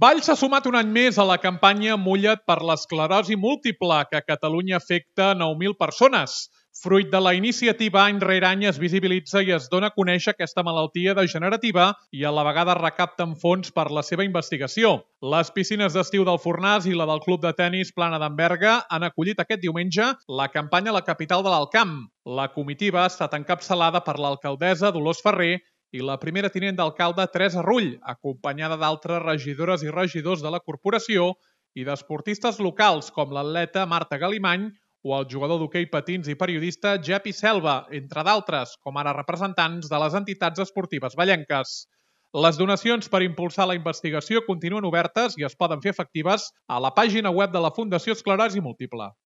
Valls s'ha sumat un any més a la campanya Mulla't per l'esclerosi múltiple, que a Catalunya afecta 9.000 persones. Fruit de la iniciativa, any rere any es visibilitza i es dona a conèixer aquesta malaltia degenerativa i a la vegada recapten fons per la seva investigació. Les piscines d'estiu del Fornàs i la del Club de Tenis Plana d'en Berga han acollit aquest diumenge la campanya a la capital de l'Alt Camp. La comitiva ha estat encapçalada per l'alcaldessa Dolors Ferrer i la primera tinent d'alcalde Teresa Rull, acompanyada d'altres regidores i regidors de la corporació i d'esportistes locals com l'atleta Marta Galimany o el jugador d'hoquei patins i periodista Jepi Selva, entre d'altres, com ara representants de les entitats esportives vallenques. Les donacions per impulsar la investigació continuen obertes i es poden fer efectives a la pàgina web de la Fundació Esclerosi Múltiple.